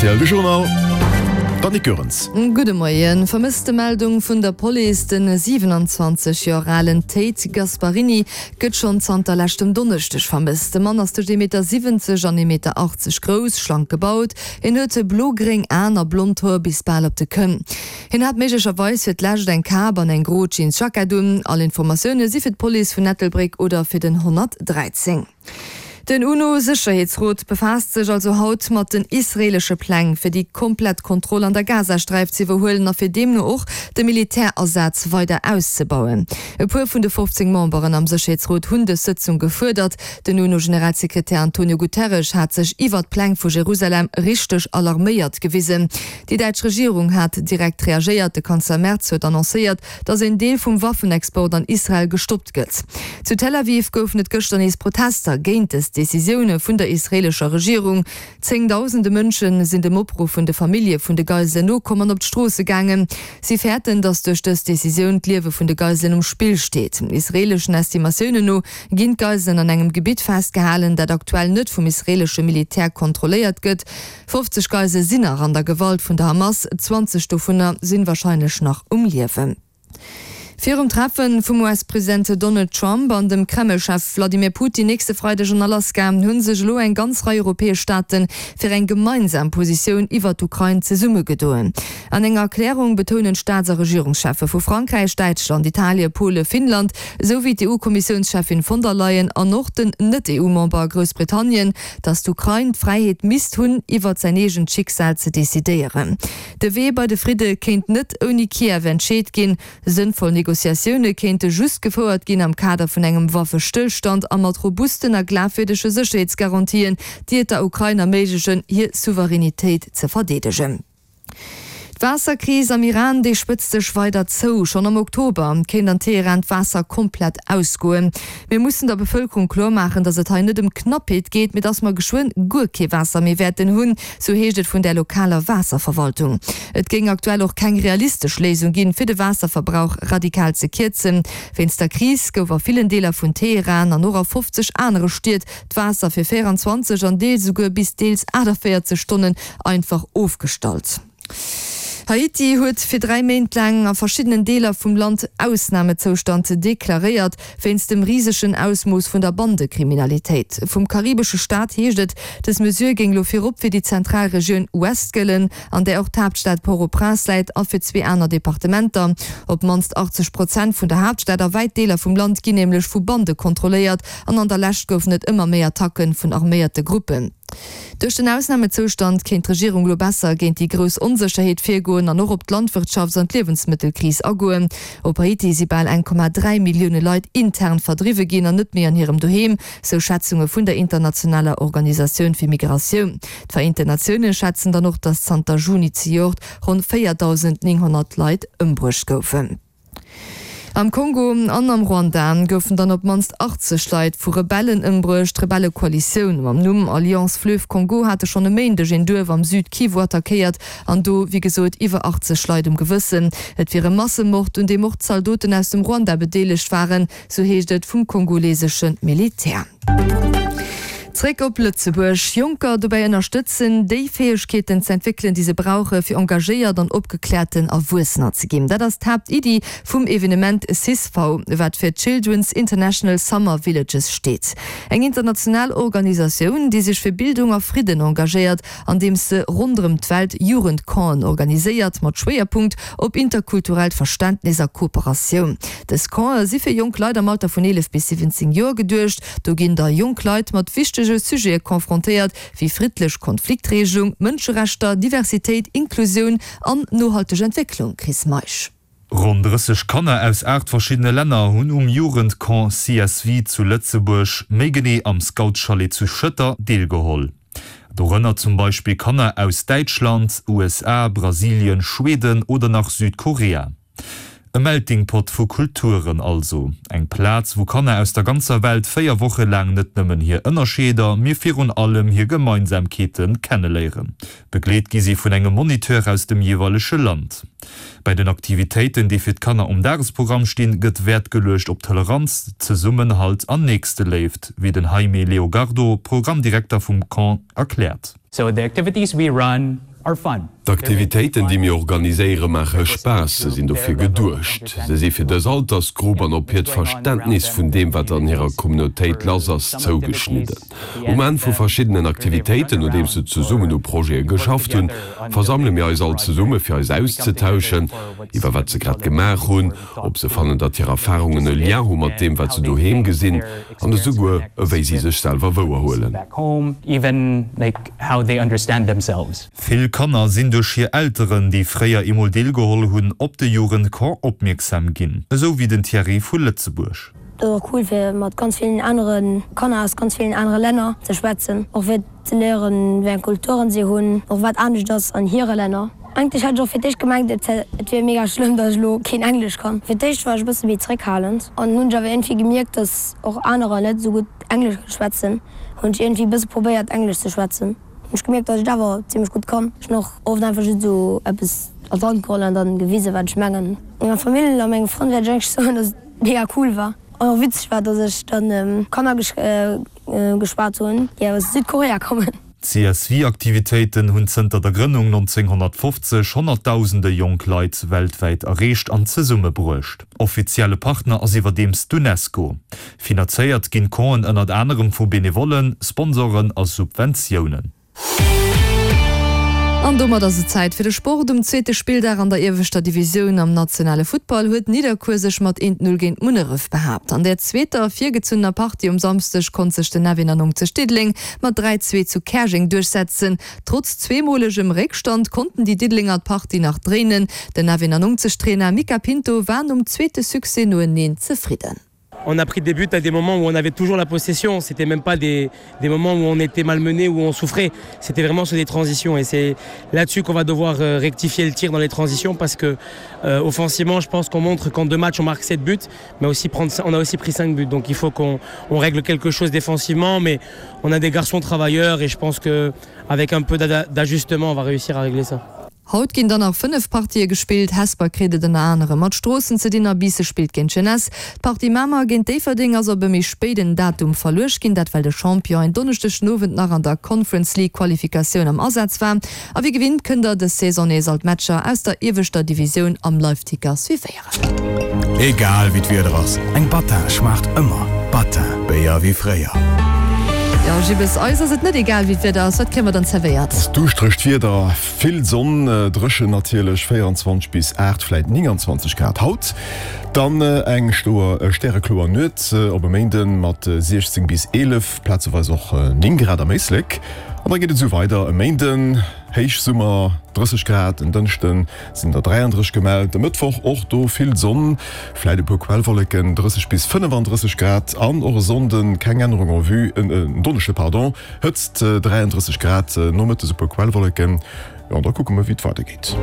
Rtl de Journal, d'Annick Goerens. Gudde Moien. Vermësstemeldung vun der Police, Den 27 Joer alen Tate Gasparini gëtt schonn zanter leschtem Donneschdeg vermësst. De Mann ass tëscht 1,70 Meter an 1,80 Meter grouss, schlank gebaut. Hien huet blo-gréng Aen a blond Hoer bis bal op de Kënn. Hien hat méiglecherweis fir d'lescht eng Kap an eng gro Jeansjackett un. All Informatioune si fir d'Police vun Ettelbréck oder fir den 113. Den UNO-Sécherheetsrot befaasst sech also haut mat den israeelesche Pläng, fir déi komplett Kontroll an der Gazasträif ze iwwerhuelen a fir deemno och de Militärasaz weider auszebauen. E puer vun de 15 Memberen am Sécherheetsrot hunn dës Sëtzung gefuerdert. Den UNO-Generalsekretär Antonio Guterres hat sech iwwert d'Pläng vu Jerusalem richteg alarméiert gewisen. Déi däitsch Regierung hat direkt reagéiert. De Kanzler Merz huet annoncéiert, datt een Deel vum Waffenexport an Israel gestoppt gëtt. Zu Tel Aviv goufen et gëschter nees Protester géint dës Decisioune vun der israeelescher Regierung. Zéngdausende Mënsche sinn dem Opruff vun de Famillje vun de Geiselen nokomm an op d'Stroosse gaangen. Si fäerten, datt duerch dës Decisioun d'Liewe vun de Geiselen um Spill steet. Israeeleschen Estimatiounen no ginn d'Geiselen an engem Gebitt festgehalen, dat aktuell net vum israeelesche Militär kontrolléiert gëtt. 50 Geisele sinn nach an der Gewalt vun der Hamas, 20 dovunner sinn warscheinlech nach um Liewen. Virum Treffe vum US-President Donald Trump an dem Kreml-Chef Wladimir Putin nächste Freideg an Alaska hu sech elo eng ganz Rei europäesch Staate fir eng gemeinsam Positioun iwwer d'Ukrain zesummegedoen. An enger Erklärung betounen d'Staats a Regierungscheffe vu Frankräich, Däitschland, Italie, Pole, Finnland, esou wéi d'EU-Kommissiounscheffin von der Leyen an och den Net-EU-Member Groussbritannien, datt d'Ukrain d'Fräiheet misst hunn, iwwert säin eegent Schicksal ze decidéieren. De Wee bei de Fridde kéint net ouni Kiew entscheet ginn. Sënnvoll Negociatioune kéinte just gefouert ginn am Kader vun engem Waffestëllstand a mat robusten a glafwierdege Sécherheetsgarantien, déi et der Ukrain erméiglechen, hir Souveränitéit ze verdeedegen. D'Waasserkris am Iran, déi spëtzt sech weider zou. Schonn am Oktober kéint an Teheran d'Waasser komplett ausgoen. Mir mussen der Bevëlkerung kloer maachen, datt et hei net ëm Knappheet geet, mee datt mer geschwënn guer kee Waasser méi wäerten hunn, sou heescht et vun där lokaler Waasserverwaltung. Et géing aktuell och keng realistesch Léisung ginn, fir de Waasserverbrauch radikal ze kierzen. Wéinst der Kris gouf a villen Deeler vun Teheran an och a 50 anere Stied d'Waasser fir 24 an deels esouguer bis deels 48 Stonnen einfach ofgestallt. Haiti huet fir 3 Méint laang a verschiddenen Deeler vum Land Ausnamezoustand deklaréiert, wéinst dem risegen Ausmooss vun der Bandekriminalitéit. Vum karibesche Staat heescht et, dës Mesure géing elo virop fir déi zentral Regioun Ouest gëllen, an där och d'Haaptstad Port-au-Prince läit, a fir zwee aner Departementer. Op d'mannst 80 Prozent vun der Haaptstad a wäit Deeler vum Land ginn nämlech vu Bande kontrolléiert, an an der Lescht goufen et ëmmer méi Attacke vun arméierte Gruppen. Duerch den Ausnamezoustand kéint d'Regierung elo besser géint déi grouss Onsécherheet virgoen an och op d'Landwirtschafts an d'Liewensmëttelkris agoen. Op Haiti si bal 1,3 Millioune Leit intern verdriwwe ginn an net méi an hirem Doheem, sou Schätzunge vun der internationaler Organisatioun fir Migratioun. D'Vereenten Natioune schätzen dann och, datt zanter Juni zejoert ronn 4.900 Leit ëmbruecht goufen. Am Kongo an am Ruanda goufen dann op d'mannst 80 Leit vu Rebellen ëmbruecht. D'Rebellekoalitioun mam Numm Alliance Fleuve Congo hate schonn e Méindeg een Duerf am Süd-Kivu attackéiert an do, wéi gesot, iwwer 80 Leit um Gewëssen. Et wier e Massemord, un deem och Zaldoten aus dem Ruanda bedeelegt waren, sou heescht et vum kongolesesche Militär. Zréck op Lëtzebuerg. Jonker dobäi ënnerstëtzen, déi Fäegkeeten ze entwéckelen, déi se brauche fir engagéiert an opgekläerten Erwuessener ze ginn. Dat ass d'Haaptiddi vum Evenement CISV, wat fir Children's International Summer Villages steet. Eng international Organisatioun, déi sech fir Bildung a Fridden engagéiert, andeems se ronderëm d'Welt Jugendcampen organiséiert, mat Schwéierpunkt op interkulturellt Verständnis a Kooperatioun. Dës Campe si fir jonk Leit am Alter vun 11 bis 17 Joer geduecht. Do ginn da jonk Leit mat wichtege Sujete confrontéiert, wéi friddlech Konfliktregelung, Mënscherechter, Diversitéit, Inklusioun an nohalteg Entwécklung. Chris Meisch. Ronn 30 Kanner aus 8 verschiddene Länner hunn um Jugendcamp CSV zu Lëtzebuerg, méi genee am Scoutschalet zu Schëtter, deelgeholl. Dorënner zum Beispill Kanner aus Däitschland, USA, Brasilien, Schweden oder nach Südkorea. E Melting Pot vu Kulturen also. Eng Plaz, wou Kanner aus der ganzer Welt 4 Woche laang net nëmmen hir Ënnerscheeder, mee virun allem hir Gemeinsamkeete kenneléieren. Begleet gi si vun engem Moniteur aus dem jeeweilege Land. Bei den Aktivitéiten, déi fir d'Kanner um Dagesprogramm stinn, gëtt Wäert geluecht op Toleranz, Zesummenhalt an Nächsteléift, wéi den Jaime Leogardo, Programmdirekter vum Camp, erkläert. So the activities we run. D'Aktivitéiten, déi mir organiséiere maache Spaass, se sinn dofir geduecht. Se si fir dës Altersgrupp an op hiert Verständnis vun deem, wat an hirer Communautéit lass ass, zougeschnidden. Um Enn vu verschiddenen Aktivitéiten, nodeems se zesummen u Projete geschafft hunn, versammele mir eis all zesumme fir eis auszetauschen iwwer wat se grad gemaach hunn, ob se fannen, datt hir Erfarungen e Lien hu mat deem, wat se doheem gesinn an esouguer ewéi si sech selwer wouerhuelen. Vill Kanner sinn duerch hir Elteren, déi fréier eemol deelgeholl hunn, op de Jugendcamp opmierksam ginn, esou wéi den Thierry vu Lëtzebuerg. Et ass och cool fir mat ganz villen anere Kanner aus ganz villen anere Länner ze schwätzen, och fir ze léieren wéi eng Kulturen si hunn, och wat anescht ass an hire Länner. Eigentlech hat ech och fir d'éischt gemengt et wier mega schlëmm dass ech elo keen Englesch kann. Fir d'éischt war ech e bësse méi zréckhalend an hunn ech awer iergendwéi gemierkt dass och anerer net esou gutt Englesch kënne schwätzen, hunn ech iergendwéi e bësse probéiert Englesch ze schwätzen. Hunn ech gemierkt dass ech et awer zimmlech gutt kann. Ech hunn och oft einfach just esou eppes an d'Hand geholl an dann gewisen wat ech mengen. Menger Famill a menge Frënn wäert ech eigentlech soen dass et mega cool war an och witzeg war dass ech dann Kanner geschwat hunn déi aus Südkorea kommen. D'CSV-Aktivitéiten hunn zënter der Grënnung 1950 honnertdausende jonk Leit weltwäit erreecht an zesummebruecht. Offizielle Partner ass iwwerdeems d'UNESCO. Finanzéiert ginn d'Campen ënnert anerem vu Benevollen, Sponsoren a Subventiounen. An domat ass et Zäit fir de Sport. Um zweete Spilldag an der ieweschter Divisioun am nationale Futtball huet Nidderkuer sech mat 1, 0 géint Munneref behaapt. An der zweeter virgezunnener Partie um Samsdeg konnt sech den F91 Diddeleng mat 3, 2 zu Käerjeng duerchsetzen. Trotz zweemolegem Réckstand konnten déi Diddelenger d'Partie nach dréinen. Den F91 Trainer Mica Pinto war nom zweete Succès noeneen zefridden. On a pris des buts à des moments où on avait toujours la possession, c'était même pas des, des moments où on était malmené où on souffrait, c'était vraiment sur des transitions et c'est là-dessus qu'on va devoir euh, rectifier le tir dans les transitions parce que euh, offensivement je pense qu'on montre qu'en deux matchs on marque 7 buts mais aussi prendre on a aussi pris 5 buts donc il faut qu'on on règle quelque chose défensivement mais on a des garçons travailleurs et je pense que avec un peu d'ajustement on va réussir à régler ça. Haut ginn dann nach 5 Partië gespillt. Hesper kritt et ënner anerem mat Stroossen ze dinn a Biissen spillt géint d'Jeunesse. D'Partie Mamer géint Déifferdeng ass op e méi spéiden Datum verluecht ginn, dat well de Champion en Donneschdeg den Owend nach an der Conference League Qualifikatioun am Asaz war. A wéi gewinnt kënnt der dës Saison nees all d'Matcher aus der ieweschter Divisioun am Liveticker suivéieren. Egal wéi d'Wieder ass, eng Battin schmaacht ëmmer. Battin, Béier wéi fréier. Jo Jibbes, eis ass et net egal wéi d'Wieder ass. Wat kréie mer dann zerwéiert? Ass duuschteregt Wieder, vill Sonn, dréchen natierlech, 24 bis 8, vläit 29 Grad haut. Dann eng stoer stärekloer Nuet op e Méinden mat 16 bis 11, plazeweis och 9 Grad am Éislek. An da geet et esou weider e Méinden, Héichsummer, 30 Grad, en Dënschden sinn der 33 gemellt, e Mëttwoch och do vill Sonn, vläit e puer Quellwolleken, 30 bis 35 Grad an och e Sonnden keng Ännerung en vue, en Donneschde pardon, Hëtzt 33 Grad, nomëttes e puer Quellwolleken. Jo, an da kucke mer wéi et weidergeet.